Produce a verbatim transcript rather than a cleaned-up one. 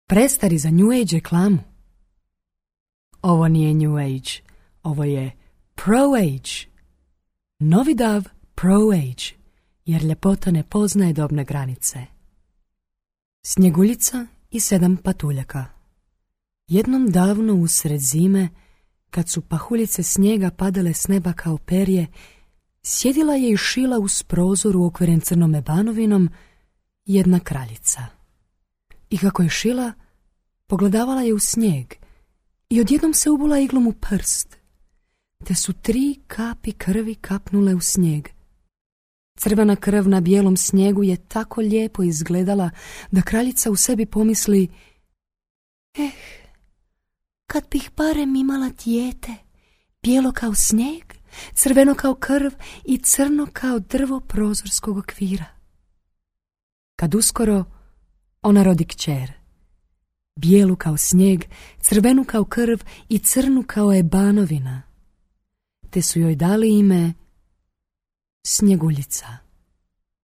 Prestari za New Age reklamu. Ovo nije New Age, ovo je Pro Age. Novi dav Pro Age, jer ljepota ne poznaje dobne granice. Snjeguljica i sedam patuljaka. Jednom davno usred zime, kad su pahuljice snijega padale s neba kao perje, sjedila je i šila uz prozor ukveren crnom ebanovinom jedna kraljica. I kako je šila, pogledavala je u snijeg i odjednom se ubula iglom u prst, te su tri kapi krvi kapnule u snijeg. Crvena krv na bijelom snijegu je tako lijepo izgledala da kraljica u sebi pomisli: eh, kad bih barem imala dijete, bijelo kao snijeg, crveno kao krv i crno kao drvo prozorskog okvira. Kad uskoro ona rodi kćer, bijelu kao snijeg, crvenu kao krv i crnu kao ebanovina, te su joj dali ime Snjeguljica.